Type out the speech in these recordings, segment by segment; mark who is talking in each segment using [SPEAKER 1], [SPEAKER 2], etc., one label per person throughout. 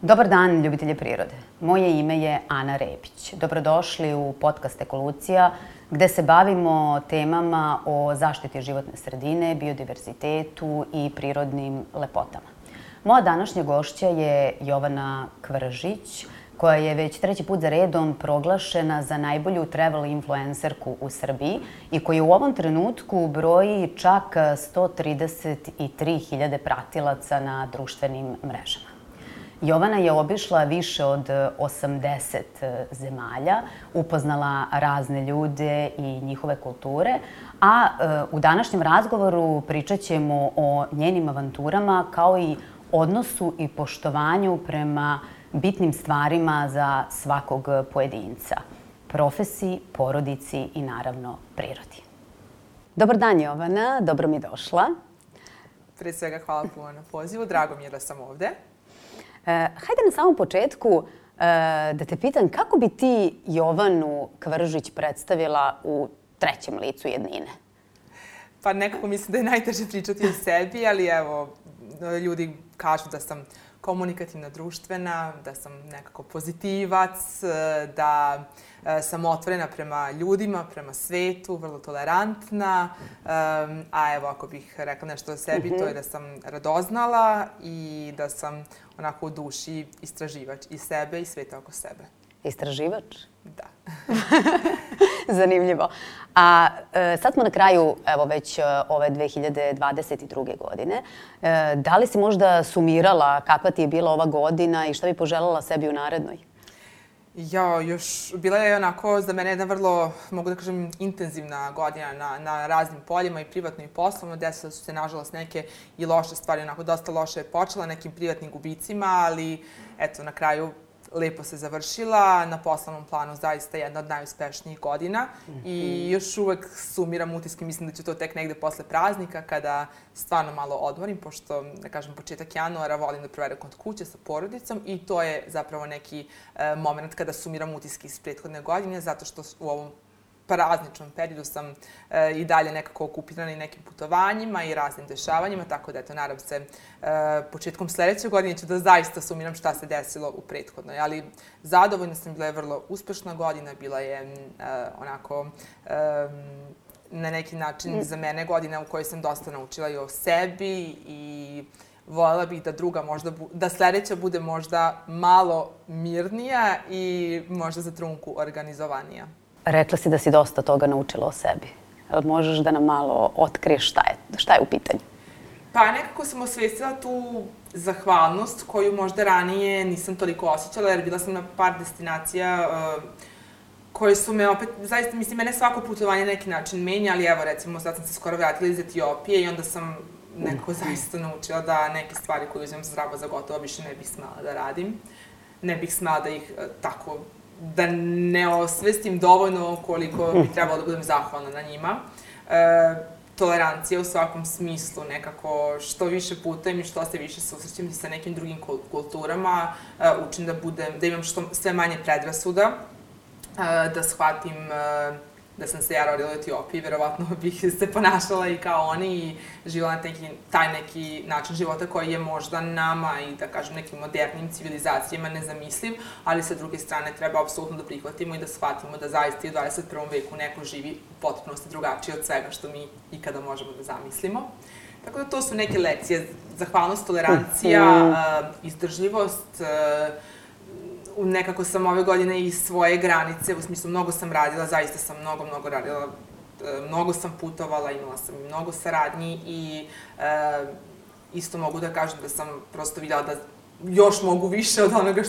[SPEAKER 1] Dobar dan, ljubitelji prirode. Moje ime je Ana Repić. Dobrodošli u podcast Ekolucija, gde se bavimo temama o zaštiti životne sredine, biodiverzitetu i prirodnim lepotama. Moja današnja gošća je Jovana Kvržić, koja je već treći put za redom proglašena za najbolju travel influencerku u Srbiji i koja u ovom trenutku broji čak 133.000 pratilaca na društvenim mrežama. Jovana je obišla više od 80 zemalja, upoznala razne ljude i njihove kulture, a u današnjem razgovoru pričat ćemo o njenim avanturama kao i odnosu i poštovanju prema bitnim stvarima za svakog pojedinca, profesiji, porodici i naravno prirodi. Dobar dan, Jovana, dobro mi došla.
[SPEAKER 2] Pre svega hvala puno na pozivu, drago mi je da sam ovde.
[SPEAKER 1] Hajde na samom početku da te pitam kako bi ti Jovanu Kvržić predstavila u trećem licu jednine?
[SPEAKER 2] Pa nekako mislim da je najteže pričati o sebi, ali evo, ljudi kažu da sam komunikativna, društvena, da sam nekako pozitivac, da sam otvorena prema ljudima, prema svetu, vrlo tolerantna. A evo, ako bih rekla nešto o sebi, to je da sam radoznala i da sam onako u duši istraživač i sebe i sveta oko sebe.
[SPEAKER 1] Istraživač?
[SPEAKER 2] Da.
[SPEAKER 1] Zanimljivo. A sad smo na kraju, evo već ove 2022. godine. Da li si možda sumirala kakva ti je bila ova godina i šta bi poželjela sebi u narednoj?
[SPEAKER 2] Bila je onako za mene jedna vrlo, mogu da kažem, intenzivna godina na raznim poljima i privatno i poslovno. Desile su se, nažalost, neke i loše stvari, onako dosta loše je počela, nekim privatnim gubicima, ali eto, na kraju lepo se završila, na poslovnom planu zaista jedna od najuspešnijih godina i još uvek sumiram utiske, mislim da ću to tek negde posle praznika kada stvarno malo odmorim, pošto, da kažem, početak januara volim da provedem kod kuće sa porodicom i to je zapravo neki moment kada sumiram utiske iz prethodne godine, zato što u ovom prazničnom periodu sam i dalje nekako okupirana i nekim putovanjima i raznim dešavanjima, tako da eto, nadam se, početkom sledeće godine ću da zaista sumiram šta se desilo u prethodnoj, ali zadovoljna sam, bila je vrlo uspešna godina, bila je onako na neki način za mene godina u kojoj sam dosta naučila i o sebi i voljela bih da da sledeća bude možda malo mirnija i možda za trunku organizovanija.
[SPEAKER 1] Rekla si da si dosta toga naučila o sebi. Možeš da nam malo otkriješ šta je u pitanju?
[SPEAKER 2] Pa nekako sam osvestila tu zahvalnost koju možda ranije nisam toliko osjećala, jer bila sam na par destinacija koje su me opet, zaista, mislim, mene svako putovanje na neki način menja, ali evo, recimo, sad sam se skoro vratila iz Etiopije i onda sam nekako zaista naučila da neke stvari koje uzimam zdravo za gotovo više ne bih smela da radim. Ne bih smela da ih tako da ne osvestim dovoljno koliko bi trebalo da budem zahvalna na njima. Tolerancija u svakom smislu, nekako što više putujem i što se više susrećem sa nekim drugim kulturama, učim da imam sve manje predrasuda, da shvatim da sam se ja rodila u Etiopiji, verovatno bih se ponašala i kao oni i živjela na taj neki način života koji je možda nama i da kažem nekim modernim civilizacijama nezamisliv, ali sa druge strane treba apsolutno da prihvatimo i da shvatimo da zaista i u 21. veku neko živi u potpunosti drugačije od svega što mi ikada možemo da zamislimo. Tako da to su neke lekcije, zahvalnost, tolerancija, izdržljivost. Nekako sam ove godine i svoje granice, u smislu mnogo sam radila, zaista sam mnogo radila, mnogo sam putovala, imala sam i mnogo saradnji i isto mogu da kažem da sam prosto vidjela da još mogu više od onoga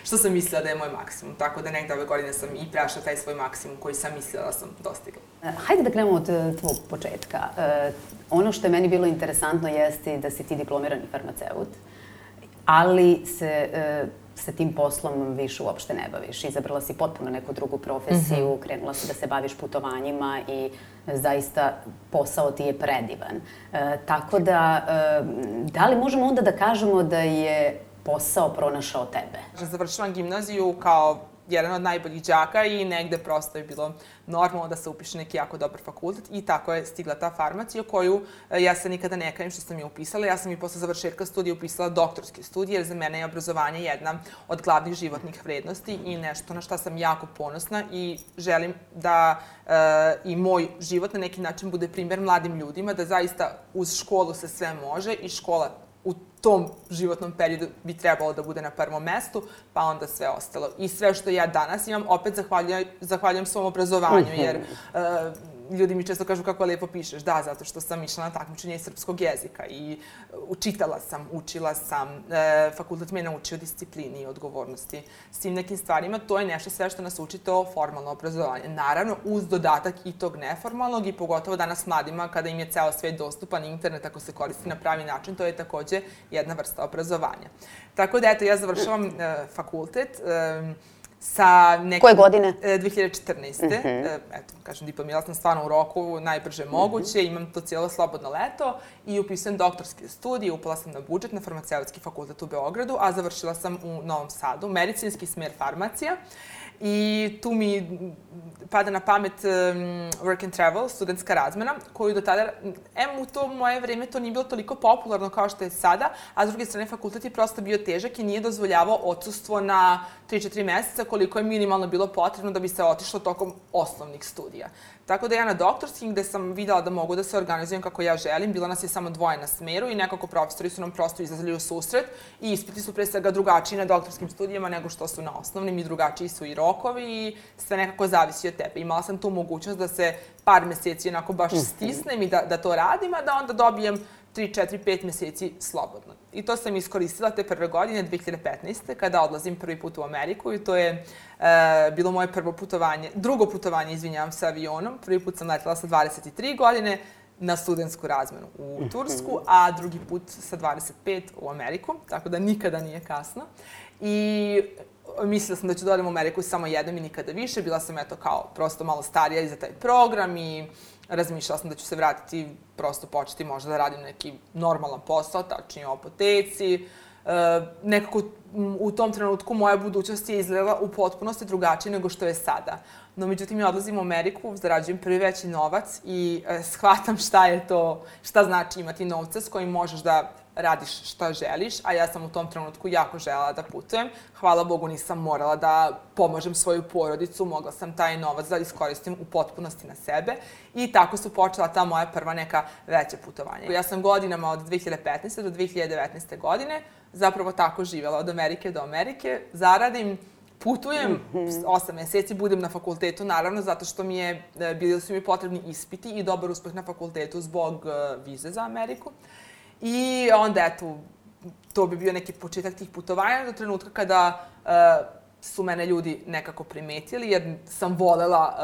[SPEAKER 2] što sam mislila da je moj maksimum. Tako da negde ove godine sam i prešla taj svoj maksimum koji sam mislila da sam dostigla.
[SPEAKER 1] Hajde da krenemo od tvog početka. Ono što je meni bilo interesantno jeste da si ti diplomirani farmaceut, ali se sa tim poslom više uopšte ne baviš. Izabrala si potpuno neku drugu profesiju, krenula si da se baviš putovanjima i zaista posao ti je predivan. Tako da li možemo onda da kažemo da je posao pronašao tebe?
[SPEAKER 2] Završila gimnaziju kao jedan od najboljih đaka i negde prosto je bilo normalno da se upiše neki jako dobar fakultet i tako je stigla ta farmacija koju ja se nikada ne kajem što sam je upisala. Ja sam i posle završetka studija upisala doktorske studije jer za mene je obrazovanje jedna od glavnih životnih vrednosti i nešto na šta sam jako ponosna i želim da i moj život na neki način bude primjer mladim ljudima, da zaista uz školu se sve može i škola u tom životnom periodu bi trebalo da bude na prvom mestu, pa onda sve ostalo. I sve što ja danas imam, opet zahvaljujem svom obrazovanju, jer ljudi mi često kažu kako lepo pišeš. Da, zato što sam išla na takmičenje iz srpskog jezika i čitala sam, učila sam, fakultet me je naučio disciplini i odgovornosti. S tim nekim stvarima, to je nešto sve što nas uči to formalno obrazovanje. Naravno, uz dodatak i tog neformalnog i pogotovo danas mladima, kada im je ceo svet dostupan, internet ako se koristi na pravi način, to je takođe jedna vrsta obrazovanja. Tako da, eto, ja završavam fakultet sa nekim...
[SPEAKER 1] Koje godine?
[SPEAKER 2] 2014. Eto, kažem, diplomirala sam stvarno u roku, najbrže moguće, imam to cijelo slobodno leto i upisujem doktorske studije, upala sam na budžet na farmaceutski fakultet u Beogradu, a završila sam u Novom Sadu, medicinski smer farmacija. I tu mi pada na pamet work and travel, studentska razmena, koju do tada, u to moje vreme to nije bilo toliko popularno kao što je sada, a s druge strane fakultet je prosto bio težak i nije dozvoljavao odsustvo na 3-4 meseca koliko je minimalno bilo potrebno da bi se otišlo tokom osnovnih studija. Tako da ja na doktorskim, gde sam videla da mogu da se organizujem kako ja želim, bila nas je samo dvoje na smeru i nekako profesori su nam prosto izlazili u susret i ispiti su pre svega drugačiji na doktorskim studijama nego što su na osnovnim i drugačiji su i rokovi i sve nekako zavisi od tebe. Imala sam tu mogućnost da se par meseci onako baš stisnem i da to radim, a da onda dobijem 3, 4, 5 meseci slobodno. I to sam iskoristila te prve godine, 2015. kada odlazim prvi put u Ameriku i to je bilo moje drugo putovanje, izvinjavam se, avionom. Prvi put sam letela sa 23 godine na studentsku razmenu u Tursku, a drugi put sa 25 u Ameriku, tako da nikada nije kasno. I mislila sam da ću da odem u Ameriku samo jednom i nikada više. Bila sam eto kao prosto malo starija i za taj program i razmišljala sam da ću se vratiti, prosto početi možda da radim neki normalan posao, tačnije u apoteci. Nekako u tom trenutku moja budućnost je izgledala u potpunosti drugačije nego što je sada. No, međutim, ja odlazim u Ameriku, zarađujem prvi veći novac i shvatam šta znači imati novca s kojim možeš da radiš šta želiš, a ja sam u tom trenutku jako želela da putujem. Hvala Bogu, nisam morala da pomažem svoju porodicu, mogla sam taj novac da iskoristim u potpunosti na sebe i tako su počela ta moja prva neka veća putovanja. Ja sam godinama od 2015. do 2019. godine zapravo tako živjela od Amerike do Amerike, zaradim, putujem, 8 meseci budem na fakultetu, naravno, zato što bili su mi potrebni ispiti i dobar uspeh na fakultetu zbog vize za Ameriku. I onda, eto, to bi bio neki početak tih putovanja do trenutka kada su mene ljudi nekako primetili, jer sam volela,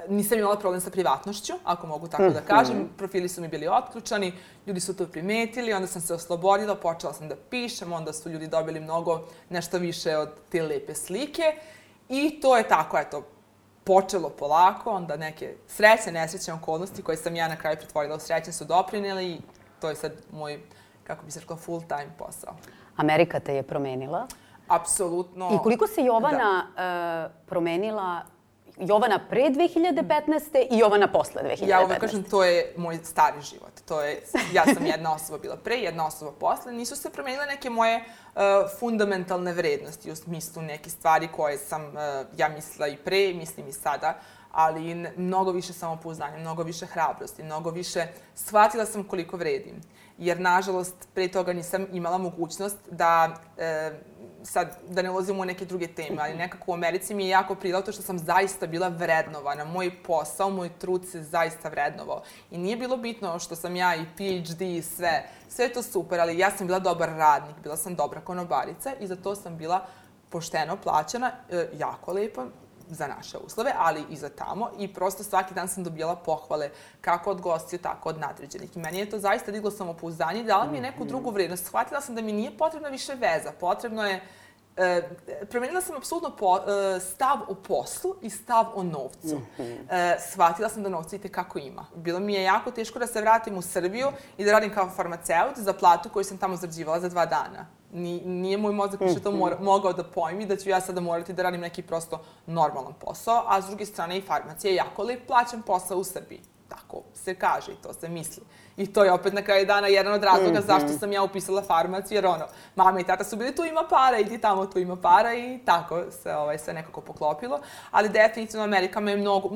[SPEAKER 2] nisam imala problem sa privatnošću, ako mogu tako da kažem. Profili su mi bili otključani, ljudi su to primetili, onda sam se oslobodila, počela sam da pišem, onda su ljudi dobili nešto više od te lepe slike. I to je tako, eto, počelo polako, onda neke srećne, nesrećne okolnosti koje sam ja na kraju pretvorila u srećne su doprineli i to je sad moj, kako bi se rekla, full time posao.
[SPEAKER 1] Amerika te je promenila.
[SPEAKER 2] Apsolutno.
[SPEAKER 1] I koliko se Jovana promenila, Jovana pre 2015. i Jovana posle 2015.
[SPEAKER 2] Ja uvek kažem, to je moj stari život. Ja sam jedna osoba bila pre, jedna osoba posle. Nisu se promenile neke moje fundamentalne vrednosti, u smislu neke stvari koje sam ja mislila i pre, mislim i sada, ali mnogo više samopouzdanja, mnogo više hrabrosti, mnogo više shvatila sam koliko vredim. Jer, nažalost, pre toga nisam imala mogućnost da, sad, da ne ulazim u neke druge teme, ali nekako u Americi mi je jako prijelo to što sam zaista bila vrednovana. Moj posao, moj trud se zaista vrednovao. I nije bilo bitno što sam ja i PhD i sve. Sve je to super, ali ja sam bila dobar radnik, bila sam dobra konobarica i za to sam bila pošteno plaćena, jako lepo, za naše uslove, ali i za tamo. I prosto svaki dan sam dobijala pohvale kako od gostiju, tako od nadređenih. I meni je to zaista diglo samopouzdanje i dala mi je neku drugu vrednost. Shvatila sam da mi nije potrebna više veza. Potrebno je promenila sam apsolutno stav o poslu i stav o novcu. Shvatila sam da novca itekako ima. Bilo mi je jako teško da se vratim u Srbiju i da radim kao farmaceut za platu koju sam tamo zarađivala za 2 dana. Nije moj mozak više to mogao da pojmi da ću ja sada morati da radim neki prosto normalan posao, a s druge strane i farmacija je jako lep plaćen posao u Srbiji. Tako se kaže i to se misli. I to je opet na kraju dana jedan od razloga zašto sam ja upisala farmaciju, jer mama i tata su bili tu ima para, idi tamo tu ima para i tako se sve nekako poklopilo. Ali definitivno Amerika me mnogo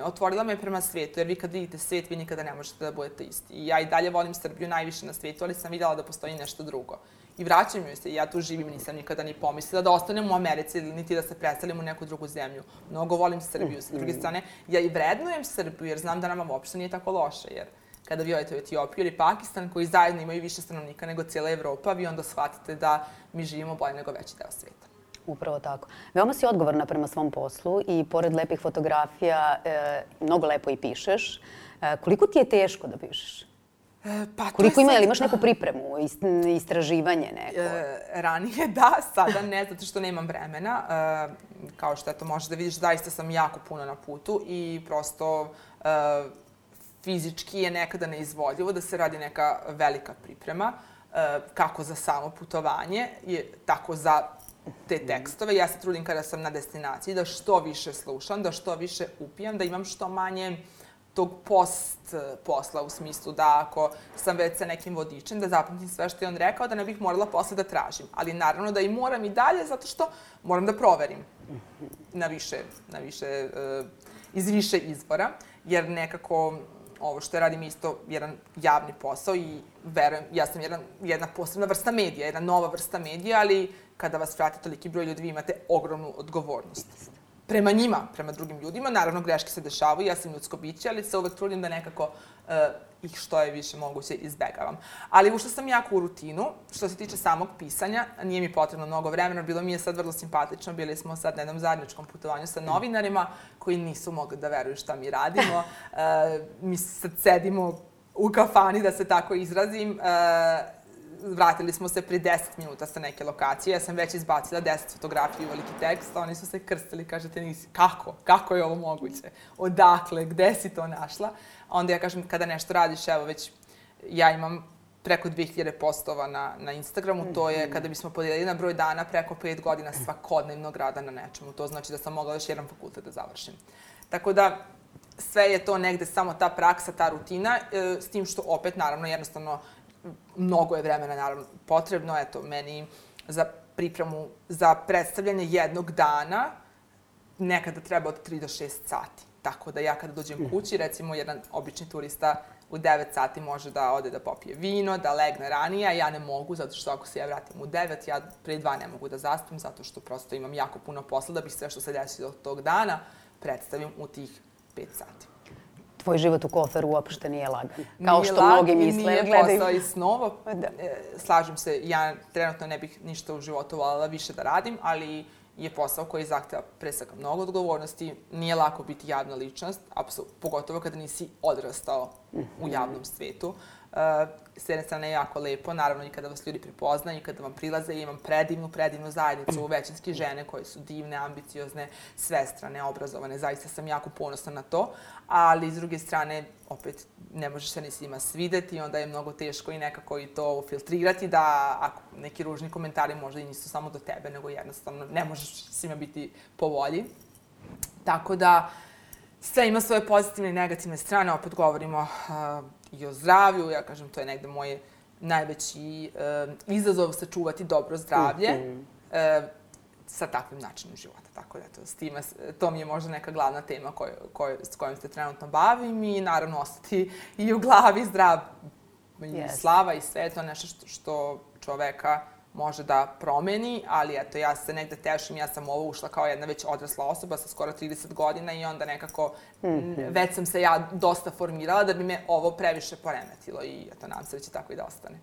[SPEAKER 2] otvorila me prema svetu, jer vi kad vidite svet, vi nikada ne možete da budete isti. I ja i dalje volim Srbiju najviše na svetu, ali sam videla da postoji nešto drugo. I vraćam joj se, ja tu živim, nisam nikada ni pomislila da ostanem u Americi ili niti da se preselim u neku drugu zemlju. Mnogo volim Srbiju. S druge strane, ja i vrednujem Srbiju jer znam da nama uopšte nije tako loše. Jer kada vi odete u Etiopiju ili Pakistan, koji zajedno imaju više stanovnika nego cijela Evropa, vi onda shvatite da mi živimo bolje nego veći deo sveta.
[SPEAKER 1] Upravo tako. Veoma si odgovorna prema svom poslu i pored lepih fotografija mnogo lepo i pišeš. Koliko ti je teško da pišeš? Koliko ima, ili imaš neku pripremu, istraživanje neko?
[SPEAKER 2] Ranije da, sada ne, zato što nemam vremena. Kao što eto možeš da vidiš, zaista sam jako puno na putu i prosto fizički je nekada neizvodljivo da se radi neka velika priprema, kako za samo putovanje, tako za te tekstove. Ja se trudim kada sam na destinaciji da što više slušam, da što više upijam, da imam što manje tog post posla, u smislu da ako sam već sa nekim vodičem, da zapamtim sve što je on rekao, da ne bih morala posle da tražim. Ali naravno da i moram i dalje, zato što moram da proverim iz više izvora, jer nekako ovo što radim isto jedan javni posao i verujem, ja sam jedna posebna vrsta medija, jedna nova vrsta medija, ali kada vas prati toliki broj ljudi, vi imate ogromnu odgovornost. Prema njima, prema drugim ljudima. Naravno, greške se dešavaju, ja sam ljudsko biće, ali se uvek trudim da nekako ih što je više moguće izbegavam. Ali ušla sam jako u rutinu. Što se tiče samog pisanja, nije mi potrebno mnogo vremena, bilo mi je sad vrlo simpatično. Bili smo sad na jednom zajedničkom putovanju sa novinarima koji nisu mogli da veruju šta mi radimo. Mi sad sedimo u kafani, da se tako izrazim. Vratili smo se pri 10 minuta sa neke lokacije. Ja sam već izbacila 10 fotografija i veliki tekst. Oni su se krstili, kažete, nisi, kako je ovo moguće? Odakle, gde si to našla? Onda ja kažem, kada nešto radiš, evo već, ja imam preko 2000 postova na Instagramu, to je kada bismo podijelili na broj dana preko 5 godina svakodnevnog rada na nečemu. To znači da sam mogla još jedan fakultet da završim. Tako da, sve je to negde samo ta praksa, ta rutina, s tim što opet, naravno, jednostavno, mnogo je vremena, naravno, potrebno. Eto, meni za pripremu, za predstavljanje jednog dana nekada treba od 3 do 6 sati. Tako da ja kada dođem kući, recimo, jedan obični turista u 9 sati može da ode da popije vino, da legne ranije, a ja ne mogu, zato što ako se ja vratim u 9, ja pre 2 ne mogu da zaspim, zato što prosto imam jako puno posla da bih sve što se desi od tog dana predstavim u tih 5 sati.
[SPEAKER 1] Tvoj život u koferu uopšte nije lagan. Kao što mnogi misle.
[SPEAKER 2] Nije posao i snova. Slažem se, ja trenutno ne bih ništa u životu voljela više da radim, ali je posao koji zahteva pre svega mnogo odgovornosti. Nije lako biti javna ličnost, pogotovo kada nisi odrastao u javnom svetu. S jedne strane je jako lepo, naravno i kada vas ljudi prepoznaju i kada vam prilaze. Imam predivnu zajednicu, većinski žene koje su divne, ambiciozne, svestrane, obrazovane. Zaista sam jako ponosna na to, ali s druge strane, opet, ne možeš se ni svima svideti, onda je mnogo teško i nekako i to filtrirati, da ako neki ružni komentari možda i nisu samo do tebe, nego jednostavno ne možeš svima biti po volji. Tako da, sve ima svoje pozitivne i negativne strane, opet govorimo i o zdravlju, ja kažem, to je negde moj najveći izazov sačuvati dobro zdravlje sa takvim načinom života. Tako da, to mi je možda neka glavna tema s kojom se trenutno bavim i naravno ostati i u glavi zdrav. Slava i sve to nešto što čoveka može da promeni, ali eto, ja se negde tešim, ja sam ovo ušla kao jedna već odrasla osoba sa skoro 30 godina i onda nekako već sam se ja dosta formirala da bi me ovo previše poremetilo i eto, nadam se da će tako i da ostane.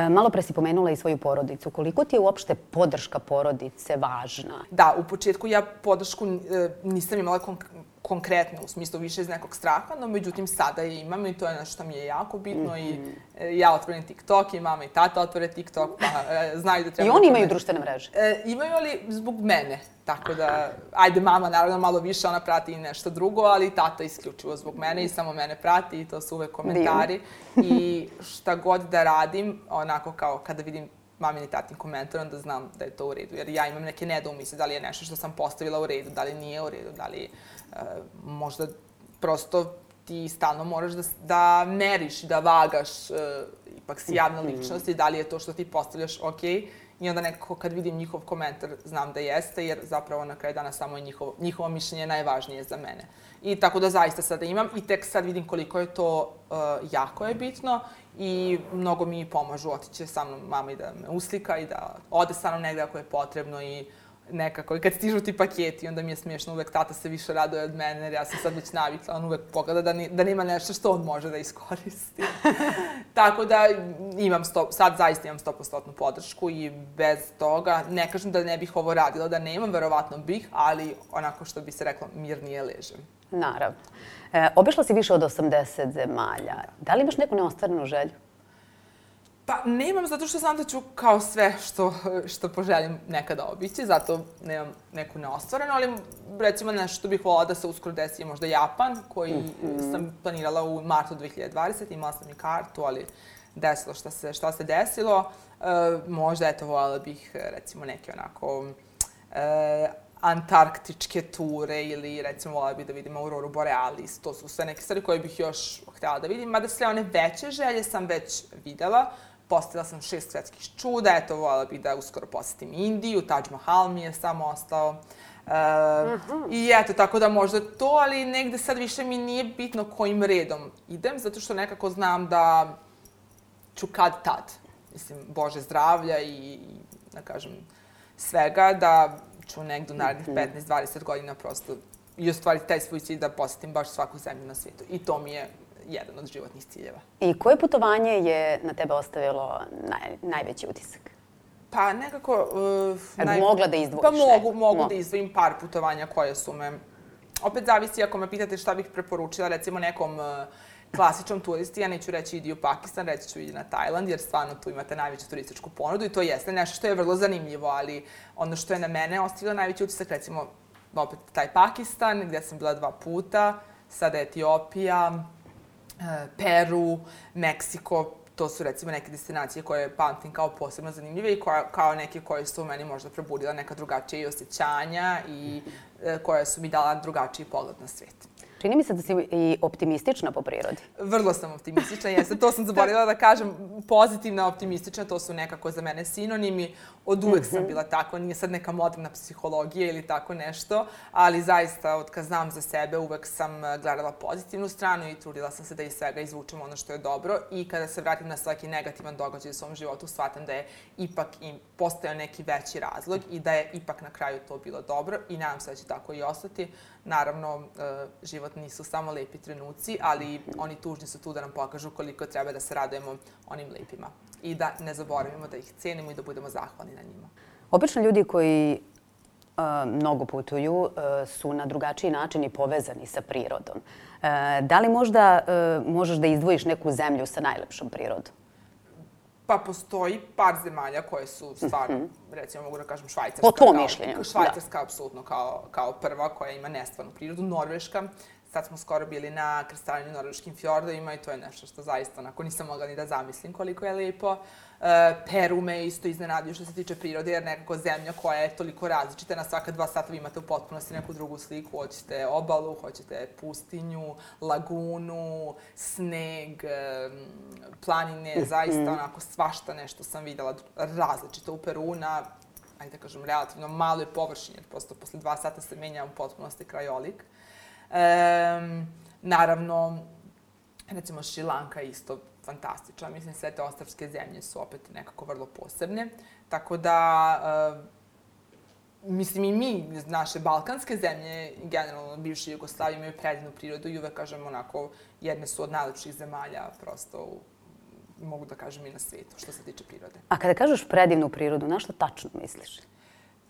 [SPEAKER 1] Malo pre si pomenula i svoju porodicu. Koliko ti je uopšte podrška porodice važna?
[SPEAKER 2] Da, u početku ja podršku nisam imala konkretne, u smislu više iz nekog straha, no međutim sada je imam i to je nešto što mi je jako bitno i ja otvorim TikTok i mama i tata otvore TikTok, pa znaju da treba...
[SPEAKER 1] I oni imaju društvene mreže?
[SPEAKER 2] Imaju, ali zbog mene, tako da, ajde mama naravno malo više, ona prati i nešto drugo, ali tata isključivo zbog mene i samo mene prati i to su uvek komentari i šta god da radim, onako kao kada vidim mamin i tatin komentar, onda znam da je to u redu. Jer ja imam neke nedoumice da li je nešto što sam postavila u redu, da li nije u redu, da li možda prosto ti stalno moraš da meriš i da vagaš, ipak si javna ličnost i da li je to što ti postavljaš okej. I onda nekako kad vidim njihov komentar znam da jeste, jer zapravo na kraju dana samo je njihovo mišljenje najvažnije za mene. I tako da zaista sada imam i tek sad vidim koliko je to jako je bitno i mnogo mi pomažu. Otiće sa mnom mama i da me uslika i da ode sa mnom negde ako je potrebno i nekako. I kad stižu ti paketi, onda mi je smiješno, uvek tata se više raduje od mene, jer ja sam sad već navikla, on uvek pogleda da nema nešto što on može da iskoristi. Tako da sad zaista imam 100% podršku i bez toga, ne kažem da ne bih ovo radila, da nemam, verovatno bih, ali onako što bi se reklo, mirnije ležem.
[SPEAKER 1] Naravno. Obišla si više od 80 zemalja. Da li imaš neku neostvarenu želju?
[SPEAKER 2] Pa nemam, zato što znam da ću kao sve što poželim nekada obići, zato nemam neku neostvarenu, ali recimo nešto što bih voljela da se uskoro desi je možda Japan, koji sam planirala u martu 2020. Imala sam i kartu, ali desilo šta se desilo. Možda, eto, voljela bih recimo neke onako antarktičke ture ili recimo voljela bih da vidim Auroru Borealis. To su sve neke stvari koje bih još htjela da vidim, mada sve one veće želje sam već videla. Postavila sam 6 svetskih čuda, eto, voljela bih da uskoro posetim Indiju, Taj Mahal mi je samo ostao. I eto, tako da možda to, ali negde sad više mi nije bitno kojim redom idem, zato što nekako znam da ću kad tad, mislim, Bože zdravlja i da kažem, svega, da ću negde u narednih 15-20 godina prosto i ostvariti taj svoj cilj da posetim baš svaku zemlju na svijetu. I to mi je jedan od životnih ciljeva.
[SPEAKER 1] I koje putovanje je na tebe ostavilo najveći utisak?
[SPEAKER 2] Pa nekako...
[SPEAKER 1] Mogla da izdvojiš?
[SPEAKER 2] Pa mogu da izdvojim par putovanja koje su me... Opet zavisi ako me pitate šta bih preporučila, recimo nekom klasičnom turisti, ja neću reći idi u Pakistan, reći ću idi na Tajland, jer stvarno tu imate najveću turističku ponudu i to jeste nešto što je vrlo zanimljivo, ali ono što je na mene ostavilo najveći utisak, recimo opet taj Pakistan, gdje sam bila 2 puta, sada Etiopija, Peru, Meksiko, to su recimo neke destinacije koje pamtim kao posebno zanimljive i kao neke koje su u meni možda probudila neka drugačija osjećanja i koje su mi dala drugačiji pogled na svijet.
[SPEAKER 1] Čini mi se da si i optimistična po prirodi.
[SPEAKER 2] Vrlo sam optimistična, jeste. To sam zaboravila da kažem. Pozitivna, optimistična, to su nekako za mene sinonimi. Od uvek sam bila tako, nije sad neka moderna psihologija ili tako nešto, ali zaista, od kad znam za sebe, uvek sam gledala pozitivnu stranu i trudila sam se da iz svega izvučem ono što je dobro i kada se vratim na svaki negativan događaj u svom životu, shvatam da je ipak im postojao neki veći razlog i da je ipak na kraju to bilo dobro i nadam se da će tako i ostati. Naravno, život nisu samo lepi trenuci, ali oni tužni su tu da nam pokažu koliko treba da se radujemo onim lepima i da ne zaboravimo da ih cenimo i da budemo zahvalni na njima.
[SPEAKER 1] Obično ljudi koji mnogo putuju su na drugačiji način i povezani sa prirodom. Da li možda možeš da izdvojiš neku zemlju sa najlepšom prirodom?
[SPEAKER 2] Pa postoji par zemalja koje su stvarno, recimo mogu da kažem Švajcarska.
[SPEAKER 1] Po tvom mišljenju.
[SPEAKER 2] Švajcarska, apsolutno, kao prva koja ima nestvarnu prirodu. Norveška. Sad smo skoro bili na krstarenju norveškim fjordovima i to je nešto što zaista onako nisam mogla ni da zamislim koliko je lepo. Peru me isto iznenadio što se tiče prirode, jer nekako zemlja koja je toliko različita, na svaka 2 sata vi imate u potpunosti neku drugu sliku. Hoćete obalu, hoćete pustinju, lagunu, sneg, planine, zaista onako svašta nešto sam videla različito u Peru na, ajde da kažem, relativno maloj površini, jer prosto posle 2 sata se menja u potpunosti krajolik. Naravno, recimo Šrilanka je isto fantastična. Mislim, sve te ostrvske zemlje su opet nekako vrlo posebne. Tako da, mislim i mi, naše balkanske zemlje, generalno bivše Jugoslavije, imaju predivnu prirodu i uvek kažem onako, jedne su od najlepših zemalja, prosto mogu da kažem i na svijetu, što se tiče prirode.
[SPEAKER 1] A kada kažeš predivnu prirodu, na što tačno misliš?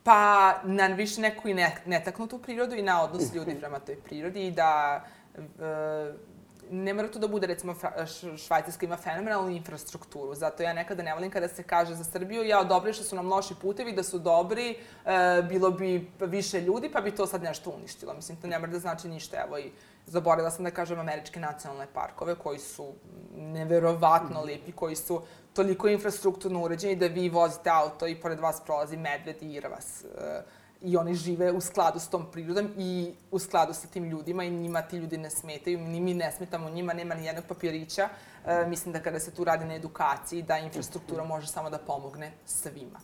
[SPEAKER 2] Pa na više neku i netaknutu prirodu i na odnos ljudi prema toj prirodi i da ne mora to da bude, recimo, Švajcarska ima fenomenalnu infrastrukturu, zato ja nekada ne volim kada se kaže za Srbiju, dobro što su nam loši putevi, da su dobri, bilo bi više ljudi, pa bi to sad nešto uništilo. Mislim, to ne mora da znači ništa. Evo i zaboravila sam da kažem američke nacionalne parkove, koji su neverovatno lepi, koji su toliko infrastrukturno uređeni da vi vozite auto i pored vas prolazi medved i irvas. I oni žive u skladu s tom prirodom i u skladu sa tim ljudima i njima ti ljudi ne smetaju, ni mi ne smetamo njima, nema ni jednog papirića. Mislim da kada se tu radi na edukaciji, da infrastruktura može samo da pomogne svima.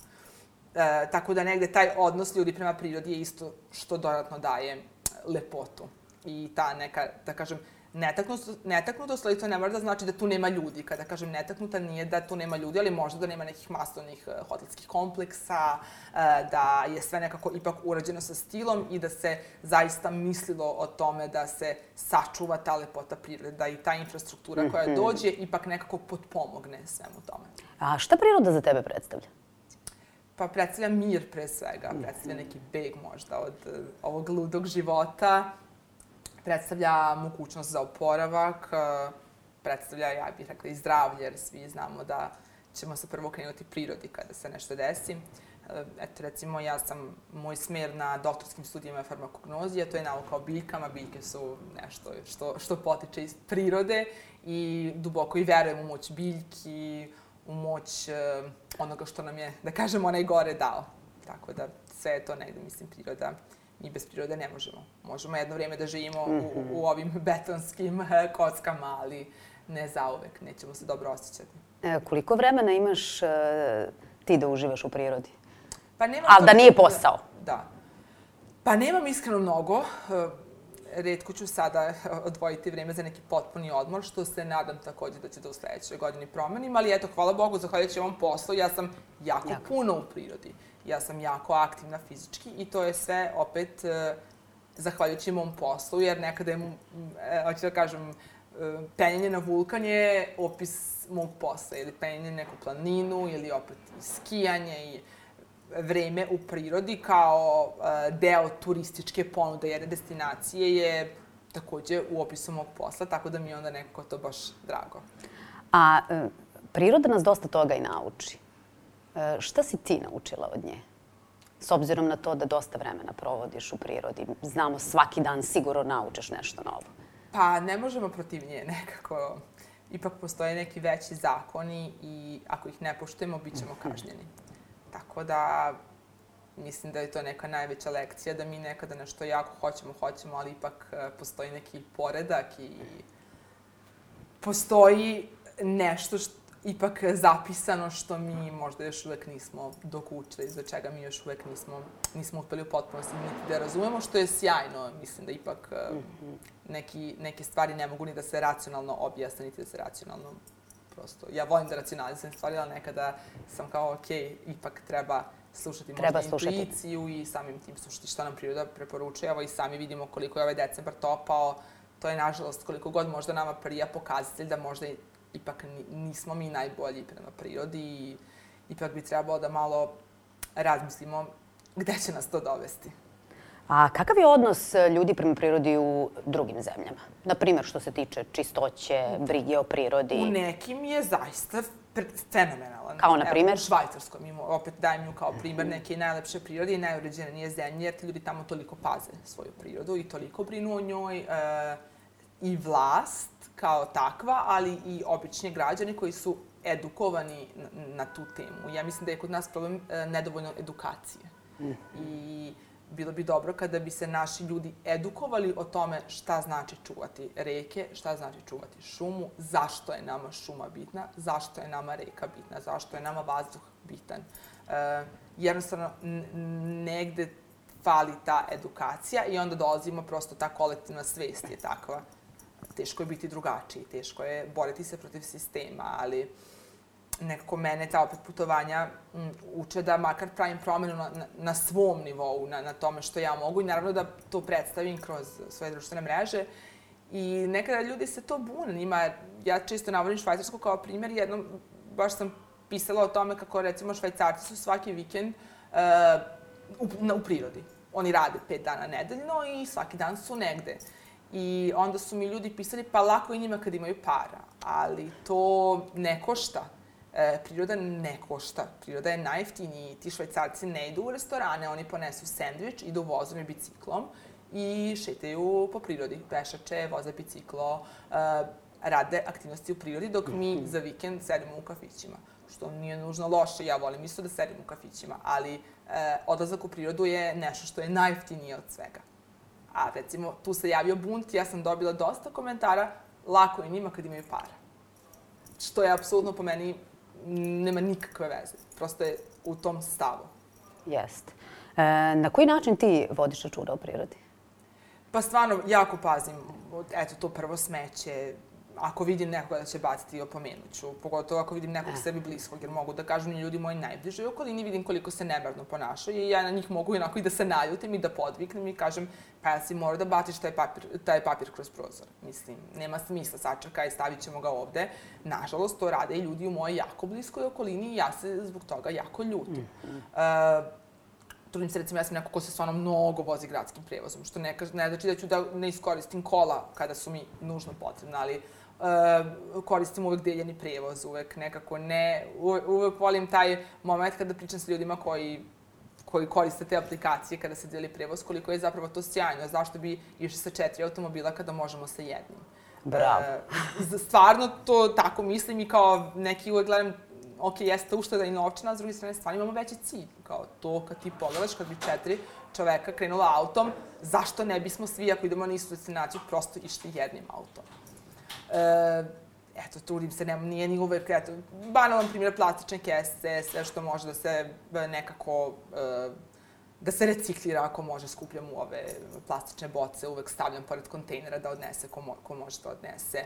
[SPEAKER 2] Tako da negde taj odnos ljudi prema prirodi je isto što dodatno daje lepotu. I ta neka, da kažem, netaknutost, ali to ne mora da znači da tu nema ljudi. Kada kažem netaknuta, nije da tu nema ljudi, ali možda da nema nekih masovnih hotelskih kompleksa, da je sve nekako ipak urađeno sa stilom i da se zaista mislilo o tome da se sačuva ta lepota prirode, da i ta infrastruktura koja dođe ipak nekako potpomogne svemu tome.
[SPEAKER 1] A šta priroda za tebe predstavlja?
[SPEAKER 2] Pa predstavlja mir pre svega, predstavlja neki beg možda od ovog ludog života, predstavlja mogućnost za oporavak, predstavlja, ja bih rekla, i zdravlje, jer svi znamo da ćemo se prvo krenuti prirodi kada se nešto desi. Eto, recimo, moj smer na doktorskim studijama je farmakognozija, to je nauka o biljkama. Biljke su nešto što potiče iz prirode i duboko i verujem u moć biljki, u moć onoga što nam je, da kažem, onaj gore dao. Tako da sve je to negde, mislim, priroda. Mi bez prirode ne možemo. Možemo jedno vrijeme da živimo u ovim betonskim kockama, ali ne zauvek. Nećemo se dobro osjećati.
[SPEAKER 1] Koliko vremena imaš ti da uživaš u prirodi?
[SPEAKER 2] Pa nemam
[SPEAKER 1] ali da nije posao?
[SPEAKER 2] Da. Pa nemam iskreno mnogo. Retko ću sada odvojiti vrijeme za neki potpuni odmor, što se nadam također da će da u sljedećoj godini promenim. Ali eto, hvala Bogu, zahvaljujući ovom poslu, ja sam jako puno u prirodi. Ja sam jako aktivna fizički i to je sve opet zahvaljujući mom poslu, jer nekada je, hoću da kažem, penjanje na vulkan je opis mog posla, ili penjanje na neku planinu, ili opet skijanje i vreme u prirodi kao deo turističke ponude jedne destinacije je također u opisu mog posla, tako da mi je onda nekako to baš drago.
[SPEAKER 1] A priroda nas dosta toga i nauči. Šta si ti naučila od nje? S obzirom na to da dosta vremena provodiš u prirodi. Znamo, svaki dan sigurno naučiš nešto novo.
[SPEAKER 2] Pa ne možemo protiv nje nekako. Ipak postoje neki veći zakoni i ako ih ne poštujemo, bit ćemo kažnjeni. Tako da mislim da je to neka najveća lekcija, da mi nekada nešto jako hoćemo, ali ipak postoji neki poredak i postoji nešto ipak zapisano što mi možda još uvek nismo dokučili, za čega mi još uvek nismo uspeli u potpunosti niti da razumemo, što je sjajno. Mislim da ipak neke stvari ne mogu ni da se racionalno objasne, niti da se racionalno prosto. Ja volim da racionalizujem stvari, ali nekada sam kao, ok, ipak treba slušati možda intuiciju i samim tim slušati što nam priroda preporučuje. Evo i sami vidimo koliko je ovaj decembar topao. To je, nažalost, koliko god možda nama prija pokazatelj da možda ipak nismo mi najbolji prema prirodi i ipak bi trebalo da malo razmislimo gde će nas to dovesti.
[SPEAKER 1] A kakav je odnos ljudi prema prirodi u drugim zemljama? Naprimjer, što se tiče čistoće, brige o prirodi?
[SPEAKER 2] U nekim je zaista fenomenalan.
[SPEAKER 1] Kao na primjer?
[SPEAKER 2] U Švajcarskom, opet dajem nju kao primjer neke najlepše prirode i najuređenije zemlje, jer ti ljudi tamo toliko paze svoju prirodu i toliko brinu o njoj. I vlast kao takva, ali i obični građani koji su edukovani na tu temu. Ja mislim da je kod nas problem nedovoljno edukacije. I bilo bi dobro kada bi se naši ljudi edukovali o tome šta znači čuvati reke, šta znači čuvati šumu, zašto je nama šuma bitna, zašto je nama reka bitna, zašto je nama vazduh bitan. Jednostavno, negde fali ta edukacija i onda dolazimo prosto ta kolektivna svest je takva. Teško je biti drugačiji, teško je boriti se protiv sistema, ali nekako mene ta opet putovanja uče da makar pravim promjenu na svom nivou, na tome što ja mogu i naravno da to predstavim kroz svoje društvene mreže. I nekada ljudi se to bune. Ja često navodim Švajcarsku kao primjer, jednom baš sam pisala o tome kako recimo Švajcarci su svaki vikend u prirodi. Oni rade 5 dana nedeljno i svaki dan su negde. I onda su mi ljudi pisali, pa lako je njima kad imaju para, ali to ne košta. Priroda ne košta. Priroda je najjeftiniji. Ti Švajcarci ne idu u restorane, oni ponesu sendvič, idu vozom i biciklom i šetaju po prirodi. Pešače, voze biciklo, rade aktivnosti u prirodi, dok mi za vikend sedimo u kafićima. Što nije nužno loše, ja volim isto da sedim u kafićima, ali odlazak u prirodu je nešto što je najjeftinije od svega. A recimo, tu se javio bunt, ja sam dobila dosta komentara, lako je njima kad imaju para. Što je apsolutno po meni, nema nikakve veze. Prosto je u tom stavu.
[SPEAKER 1] Jeste. Na koji način ti vodiš računa o prirodi?
[SPEAKER 2] Pa stvarno, jako pazim. Eto, to prvo smeće. Ako vidim nekoga da će baciti, opomenut ću. Pogotovo ako vidim nekog sebi bliskog, jer mogu da kažu mi ljudi moji najbliži u okolini, vidim koliko se nemarno ponašaju i ja na njih mogu onako i da se naljutim i da podviknem i kažem pa ja si morao da baciš taj papir kroz prozor. Mislim, nema smisla, sačekaj, stavit ćemo ga ovde. Nažalost, to rade i ljudi u mojoj jako bliskoj okolini i ja se zbog toga jako ljutim. Trudim se, recimo, ja sam neko ko se stvarno mnogo vozi gradskim prevozom, što ne znači da ću da ne iskoristim kola kada su mi nužno potrebne, ali koristim uvek deljeni prevoz, uvek nekako ne, uvek volim taj moment kada pričam sa ljudima koji koriste te aplikacije kada se deli prevoz, koliko je zapravo to sjajno. Zašto bi išli sa 4 automobila kada možemo sa jednim?
[SPEAKER 1] Bravo.
[SPEAKER 2] Stvarno to tako mislim i kao neki uvek gledam, ok, jeste ušteda i novčana, a s druge strane stvarno imamo veći cilj. Kao to kad ti pogledaš, kad bi 4 čoveka krenula autom, zašto ne bismo svi, ako idemo na istu destinaciju, prosto išli jednim autom? Eto, trudim se, nije ni uvek, eto, banalan primjer, plastične kese, sve što može da se nekako, da se reciklira ako može, skupljam u ove plastične boce, uvek stavljam pored kontejnera da odnese ko može da odnese.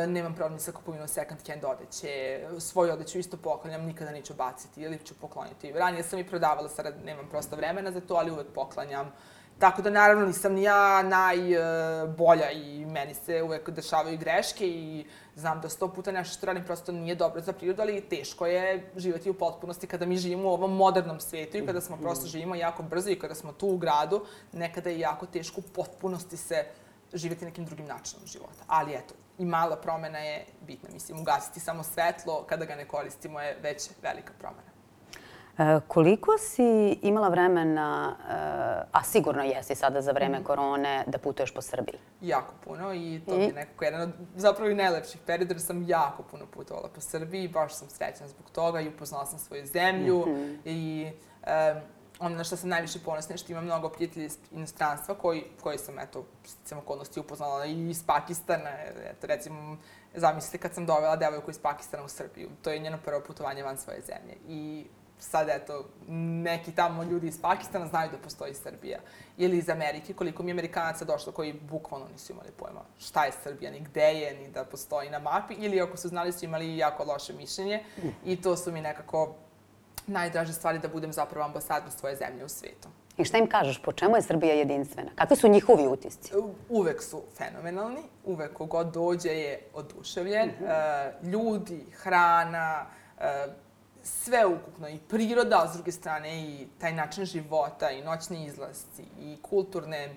[SPEAKER 2] Nemam problem sa kupovinom second hand odeće, svoju odeću isto poklanjam, nikada neću baciti ili ću pokloniti. Ranije sam i prodavala, sada nemam prosto vremena za to, ali uvek poklanjam. Tako da, naravno, nisam ni ja najbolja i meni se uvek dešavaju greške i znam da 100 puta nešto što radim prosto nije dobro za prirodu, ali teško je živjeti u potpunosti kada mi živimo u ovom modernom svijetu i kada smo prosto živimo jako brzo i kada smo tu u gradu, nekada je jako teško u potpunosti se živjeti nekim drugim načinom života. Ali eto, i mala promena je bitna. Mislim, ugasiti samo svetlo kada ga ne koristimo je već velika promena.
[SPEAKER 1] Koliko si imala vremena, a sigurno jesi sada za vreme korone, da putuješ po Srbiji?
[SPEAKER 2] Jako puno i to je nekako jedan od zapravo i najlepših perioda jer sam jako puno putovala po Srbiji, baš sam srećna zbog toga i upoznala sam svoju zemlju i ono na što sam najviše ponosna je što imam mnogo prijatelja iz inostranstva koji sam, eto, sticam okolnosti upoznala i iz Pakistana. Eto, recimo, zamislite kad sam dovela devojku iz Pakistana u Srbiju, to je njeno prvo putovanje van svoje zemlje i sad, eto, neki tamo ljudi iz Pakistana znaju da postoji Srbija. Ili iz Amerike, koliko mi Amerikanaca došlo koji bukvalno nisu imali pojma šta je Srbija, ni gde je, ni da postoji na mapi. Ili ako su znali, su imali jako loše mišljenje. I to su mi nekako najdraže stvari da budem zapravo ambasador svoje zemlje u svijetu.
[SPEAKER 1] I šta im kažeš? Po čemu je Srbija jedinstvena? Kakvi su njihovi utisci?
[SPEAKER 2] Uvek su fenomenalni. Uvek kogod dođe je oduševljen. Ljudi, hrana, sve ukupno, i priroda, a s druge strane i taj način života, i noćni izlasci, i kulturne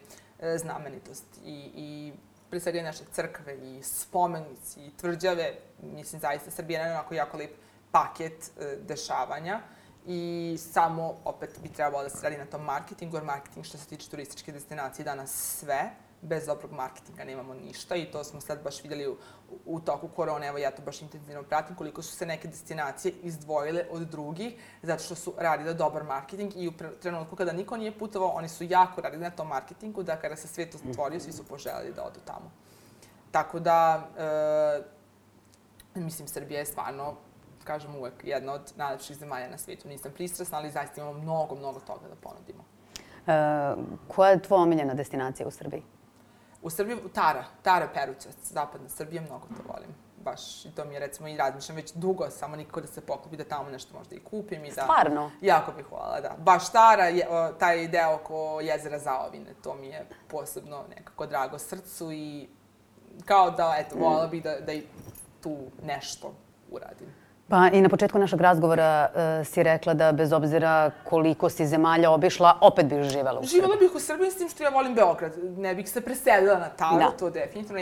[SPEAKER 2] znamenitosti, i pre svega i naše crkve, i spomenici, i tvrđave. Mislim, zaista Srbija je onako jako lep paket dešavanja i samo, opet, bi trebalo da se radi na tom marketingu, jer marketing što se tiče turističke destinacije danas sve. Bez dobrog marketinga nemamo ništa i to smo sad baš vidjeli u toku korone. Evo, ja to baš intenzivno pratim, koliko su se neke destinacije izdvojile od drugih zato što su radile dobar marketing i u trenutku kada niko nije putovao, oni su jako radili na tom marketingu da kada se svijet otvorio, svi su poželjeli da odu tamo. Tako da, mislim, Srbija je stvarno, kažem uvek, jedna od najlepših zemalja na svijetu. Nisam pristrasna, ali zaista imamo mnogo, mnogo toga da ponudimo.
[SPEAKER 1] Koja je tvoja omiljena destinacija u Srbiji?
[SPEAKER 2] U Srbiji, Tara Perućac, zapadna Srbija, mnogo to volim. Baš, i to mi je, recimo, i razmišljam već dugo, samo nikako da se poklopi, da tamo nešto možda i kupim. I da,
[SPEAKER 1] stvarno?
[SPEAKER 2] Jako bih voljela, da. Baš Tara, taj deo oko jezera Zaovine, to mi je posebno nekako drago srcu i kao da, eto, voljela bih da i tu nešto uradim.
[SPEAKER 1] Pa i na početku našeg razgovora si rekla da bez obzira koliko si zemalja obišla, opet bih živela u Srbiji.
[SPEAKER 2] Živela bih u Srbiji s tim što ja volim Beograd. Ne bih se preselila na Taru, to definitivno.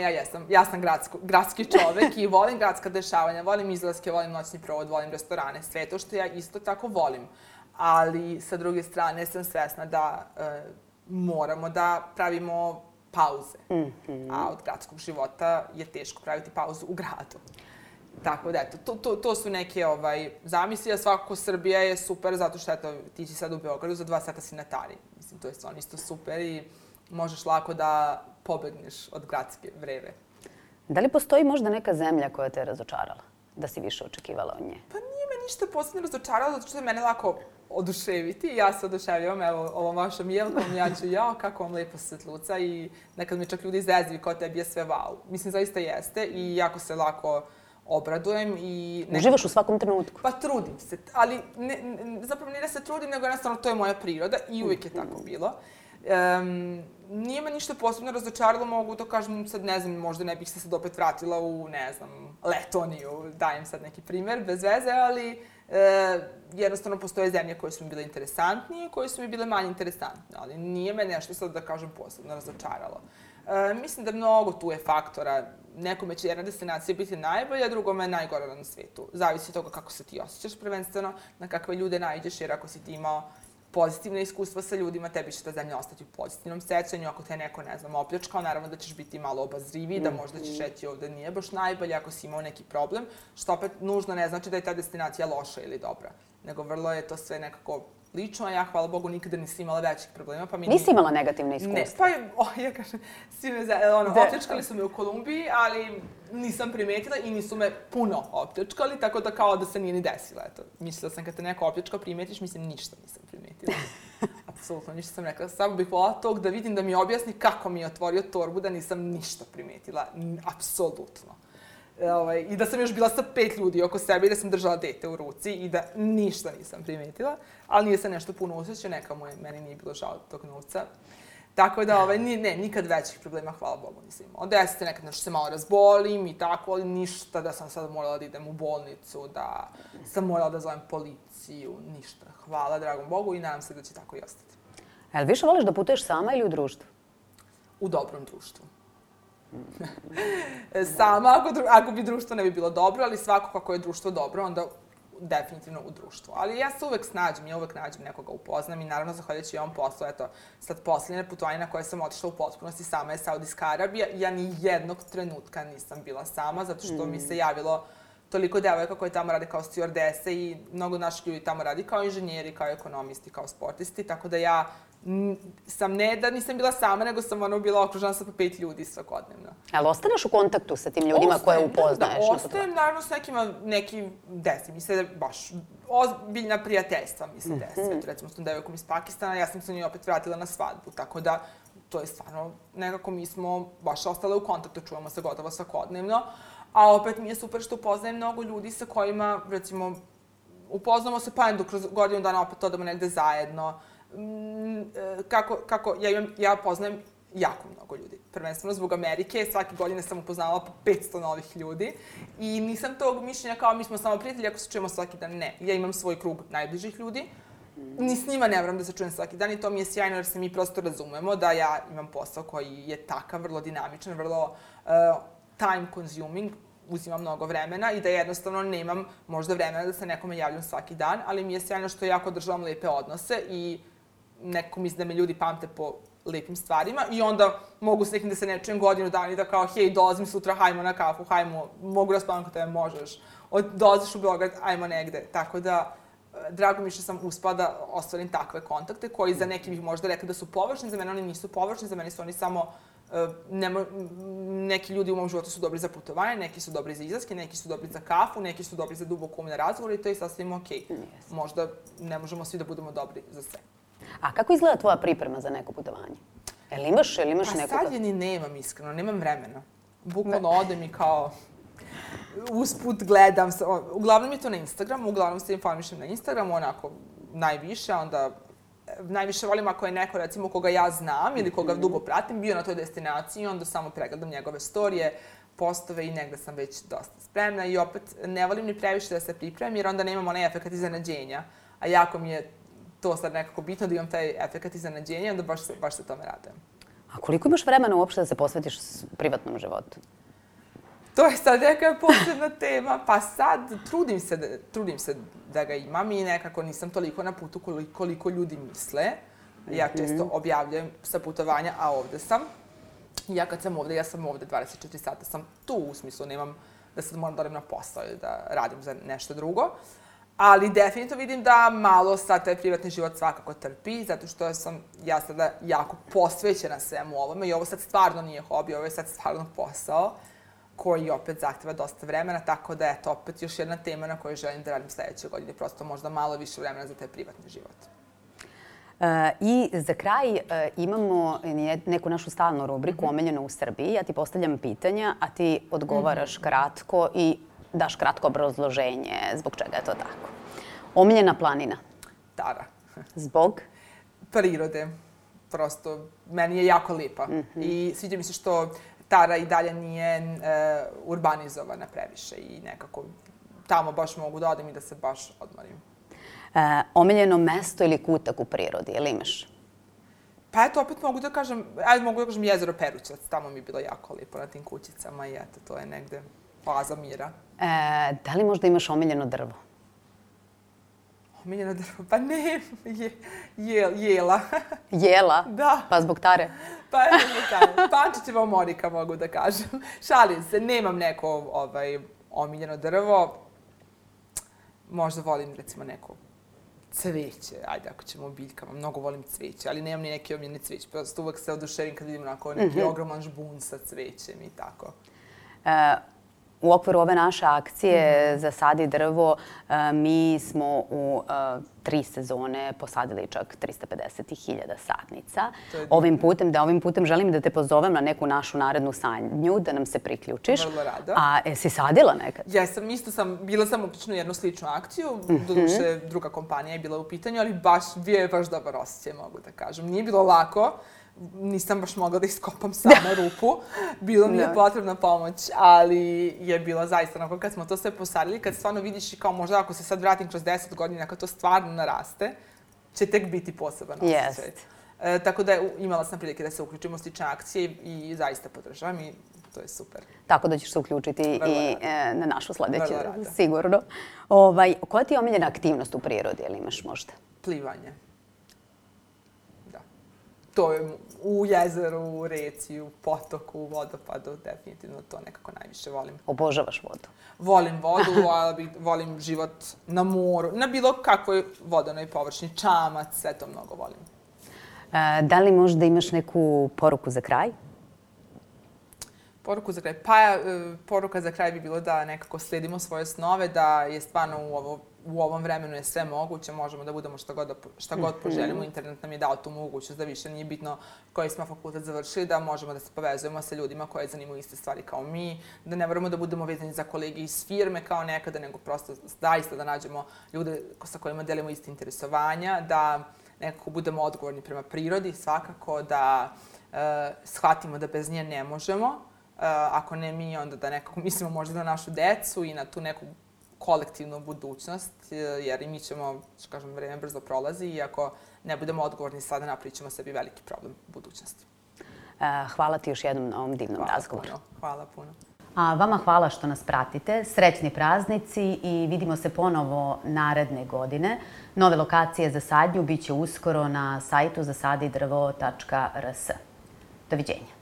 [SPEAKER 2] Ja sam gradski čovek i volim gradska dešavanja, volim izlaske, volim noćni provod, volim restorane, sve to što ja isto tako volim. Ali sa druge strane sam svesna da moramo da pravimo pauze. A od gradskog života je teško praviti pauzu u gradu. Tako da, eto, to su neke zamisli, a svakako Srbija je super zato što, eto, ti si sad u Beogradu, za 2 sata si na Tari. Mislim, to je stvarno isto super i možeš lako da pobegneš od gradske vreve.
[SPEAKER 1] Da li postoji možda neka zemlja koja te je razočarala? Da si više očekivala od nje?
[SPEAKER 2] Pa nije me ništa posebno razočarala, zato što je mene lako oduševiti. Ja se oduševljavam, evo, ovom vašom jelkom, ja ću, kako vam lepo svetluca i nekad mi čak ljudi izvezuju kao tebi je sve wow. Mislim, zaista jeste i jako se lako obradujem i...
[SPEAKER 1] Uživaš u svakom trenutku?
[SPEAKER 2] Pa trudim se, ali zapravo nije da se trudim, nego jednostavno to je moja priroda i uvijek je tako bilo. Nije me ništa posebno razočaralo, mogu da kažem, sad ne znam, možda ne bih se sad opet vratila u, ne znam, Letoniju, dajem sad neki primer, bez veze, ali jednostavno postoje zemlje koje su mi bile interesantnije i koje su mi bile manje interesantne, ali nije me nešto sad da kažem posebno razočaralo. Mislim da mnogo tu je faktora. Nekome će jedna destinacija biti najbolja, drugome najgora na svijetu. Zavisi od toga kako se ti osjećaš prvenstveno, na kakve ljude naiđeš, jer ako si ti imao pozitivne iskustva sa ljudima, tebi će ta zemlja ostati u pozitivnom sećanju. Ako te neko, ne znam, opljačkao, naravno da ćeš biti malo obazriviji, da možda ćeš reći ovdje nije baš najbolje ako si imao neki problem, što opet nužno ne znači da je ta destinacija loša ili dobra, nego vrlo je to sve nekako lično, a ja, hvala Bogu, nikada nisam imala većih problema. Pa
[SPEAKER 1] nisi imala negativne iskustva?
[SPEAKER 2] Ne, pa ja kažem, opljačkali su me u Kolumbiji, ali nisam primetila i nisu me puno opljačkali, tako da kao da se nije ni desilo. Eto, mislila sam kad te neko opljačka primetiš, mislim, ništa nisam primetila. Apsolutno, ništa sam rekla. Samo bih voljela tog da vidim, da mi objasni kako mi je otvorio torbu, da nisam ništa primetila. Apsolutno. I da sam još bila sa 5 ljudi oko sebe i da sam držala dete u ruci i da ništa nisam primetila, ali nije se nešto puno usjećao, meni nije bilo žao tog novca. Tako da, nikad većih problema, hvala Bogu, nisam imala. Desi se nekad nešto se malo razbolim i tako, ali ništa da sam sad morala da idem u bolnicu, da sam morala da zovem policiju, ništa. Hvala dragom Bogu i nadam se da će tako i ostati.
[SPEAKER 1] Jel više voliš da putuješ sama ili u društvu?
[SPEAKER 2] U dobrom društvu. Sama, ako bi društvo ne bi bilo dobro, ali svako kako je društvo dobro, onda definitivno u društvu. Ali ja se uvek nađem nekoga upoznam i naravno zahvaljujući ovom poslu, eto, sad posljednje putovanje na koje sam otišla u potpunosti sama je Saudijska Arabija. Ja ni jednog trenutka nisam bila sama, zato što mi se javilo toliko devojaka koje tamo rade kao stewardese i mnogo naših ljudi tamo radi kao inženjeri, kao ekonomisti, kao sportisti, tako da ja sam ne da nisam bila sama, nego sam bila okružena sa 5 ljudi svakodnevno.
[SPEAKER 1] Ali ostaneš u kontaktu sa tim ljudima koje upoznaješ?
[SPEAKER 2] Da, ostajem naravno s neki desi. Mi se baš ozbiljna prijateljstva mi se desi. Recimo s tom devojkom iz Pakistana, ja sam se njoj opet vratila na svadbu, tako da to je stvarno nekako mi smo baš ostale u kontaktu, čujemo se gotovo svakodnevno. A opet mi je super što upoznajem mnogo ljudi sa kojima, recimo, upoznamo se pa kroz godinu dana opet odemo negde zajedno. Ja poznajem jako mnogo ljudi. Prvenstveno zbog Amerike, svake godine sam upoznavala po 500 novih ljudi i nisam tog mišljenja kao mi smo samo prijatelji ako se čujemo svaki dan. Ne, ja imam svoj krug najbližih ljudi. Ni s njima ne moram da se čujem svaki dan i to mi je sjajno jer se mi prosto razumemo da ja imam posao koji je takav, vrlo dinamičan, vrlo time consuming, uzima mnogo vremena i da jednostavno nemam možda vremena da se nekome javljam svaki dan, ali mi je sjajno što jako održavam lepe odnose i neko misli da me ljudi pamte po lepim stvarima i onda mogu s nekim da se ne čujem godinu dana i da kao hej, dolazim sutra, hajmo na kafu, hajmo, mogu raspavam kod tebe, možeš, dolaziš u Beograd, hajmo negde, tako da drago mi što sam uspela da ostvarim takve kontakte koji za neki bih možda rekli da su površni, za mene oni nisu površni, za mene su oni samo neki ljudi u mom životu su dobri za putovanje, neki su dobri za izlaske, neki su dobri za kafu, neki su dobri za duboko umne razgovore i to je sasvim okej. Možda ne možemo svi da budemo dobri za sve.
[SPEAKER 1] A kako izgleda tvoja priprema za neko putovanje? Jel imaš neko...
[SPEAKER 2] Pa sad je ni nemam, iskreno, nemam vremena. Bukvalno odem i kao usput gledam, uglavnom je to na Instagramu, uglavnom se informišem na Instagramu, onako najviše, onda najviše volim ako je neko, recimo, koga ja znam ili koga dugo pratim, bio na toj destinaciji, onda samo pregledam njegove storije, postove i negde sam već dosta spremna i opet ne volim ni previše da se pripremim jer onda nemam onaj efekat iznenađenja, a jako mi je to sad nekako bitno da imam taj efekat iznenađenja, onda baš se tome radujem.
[SPEAKER 1] A koliko imaš vremena uopšte da se posvetiš privatnom životu?
[SPEAKER 2] To je sad neka posebna tema, pa sad trudim se da ga imam i nekako nisam toliko na putu koliko ljudi misle. Ja često objavljujem sa putovanja, a ovde sam. Ja kad sam ovde, ja sam ovde 24 sata, sam tu u smislu, nemam da sad moram da odem na posao ili da radim za nešto drugo. Ali definitivno vidim da malo sad taj privatni život svakako trpi, zato što sam ja sada jako posvećena svemu ovome i ovo sad stvarno nije hobi, ovo je sad stvarno posao koji opet zahteva dosta vremena, tako da je to opet još jedna tema na kojoj želim da radim sledeće godine, prosto možda malo više vremena za taj privatni život.
[SPEAKER 1] I za kraj imamo neku našu stalnu rubriku Omiljeno u Srbiji. Ja ti postavljam pitanja, a ti odgovaraš kratko i daš kratko obrazloženje zbog čega je to tako. Omiljena planina?
[SPEAKER 2] Tara.
[SPEAKER 1] Zbog?
[SPEAKER 2] Prirode. Prosto, meni je jako lipa. I sviđa mi se što Tara i dalje nije urbanizovana previše i nekako tamo baš mogu da odem i da se baš odmorim.
[SPEAKER 1] Omiljeno mesto ili kutak u prirodi, ili imaš?
[SPEAKER 2] Pa eto, opet mogu da kažem jezero Perućac, tamo mi je bilo jako lipo na tim kućicama i eto, to je negde oaza mira.
[SPEAKER 1] Da li možda imaš omiljeno drvo?
[SPEAKER 2] Omiljeno drvo? Pa ne, jela.
[SPEAKER 1] Jela?
[SPEAKER 2] Da.
[SPEAKER 1] Pa zbog Tare?
[SPEAKER 2] Pa zbog Tare. Pančićeva omorika, mogu da kažem. Šalim se, nemam neko omiljeno drvo. Možda volim, recimo, neko cveće, ajde, ako ćemo o biljkama, mnogo volim cveće, ali nemam ni neki omiljeni cveć. Prosto uvek se oduševim kad vidim onako neki ogroman žbun sa cvećem i tako.
[SPEAKER 1] U okviru ove naše akcije Zasadi drvo, mi smo u 3 sezone posadili čak 350.000 sadnica. Ovim putem želim da te pozovem na neku našu narednu sadnju, da nam se priključiš.
[SPEAKER 2] Vrlo rado.
[SPEAKER 1] A jesi sadila nekad?
[SPEAKER 2] Jesam, bila sam uključena u jednu sličnu akciju, doduše druga kompanija je bila u pitanju, ali bio je baš dobar osjećaj, mogu da kažem. Nije bilo lako. Nisam baš mogla da iskopam sama rupu. Bilo mi je potrebna pomoć, ali je bilo zaista onako kad smo to sve posadili, kad stvarno vidiš i kao možda ako se sad vratim kroz 10 godina, kad to stvarno naraste, će tek biti poseban osjećaj. Tako da imala sam prilike da se uključim u slične akcije i zaista podržavam i to je super.
[SPEAKER 1] Tako da ćeš se uključiti i na našu sledeću, sigurno. Koja ti je omiljena aktivnost u prirodi, ili imaš možda?
[SPEAKER 2] Plivanje. To je u jezeru, u reci, u potoku, u vodopadu, definitivno to nekako najviše volim.
[SPEAKER 1] Obožavaš vodu?
[SPEAKER 2] Volim vodu, volim život na moru, na bilo kakvoj vodanoj površini, čamac, sve to mnogo volim.
[SPEAKER 1] Da li možda imaš neku poruku za kraj?
[SPEAKER 2] Poruku za kraj? Pa poruka za kraj bi bilo da nekako sledimo svoje snove, da je stvarno u ovom vremenu je sve moguće, možemo da budemo šta god poželimo. Internet nam je dao tu mogućnost da više nije bitno koji smo fakultet završili, da možemo da se povezujemo sa ljudima koje zanimaju iste stvari kao mi, da ne moramo da budemo vezani za kolege iz firme kao nekada, nego prosto zaista da nađemo ljude sa kojima delimo iste interesovanja, da nekako budemo odgovorni prema prirodi, svakako da shvatimo da bez nje ne možemo. Ako ne mi, onda da nekako mislimo možda na našu decu i na tu neku kolektivnu budućnost, jer i mi ćemo, što kažem, vreme brzo prolazi i ako ne budemo odgovorni sada, napravit ćemo sebi veliki problem u budućnosti.
[SPEAKER 1] Hvala ti još jednom na ovom divnom razgovoru.
[SPEAKER 2] Hvala puno.
[SPEAKER 1] A vama hvala što nas pratite. Srećni praznici i vidimo se ponovo naredne godine. Nove lokacije za sadnju biće uskoro na sajtu zasadidrvo.rs. Doviđenja.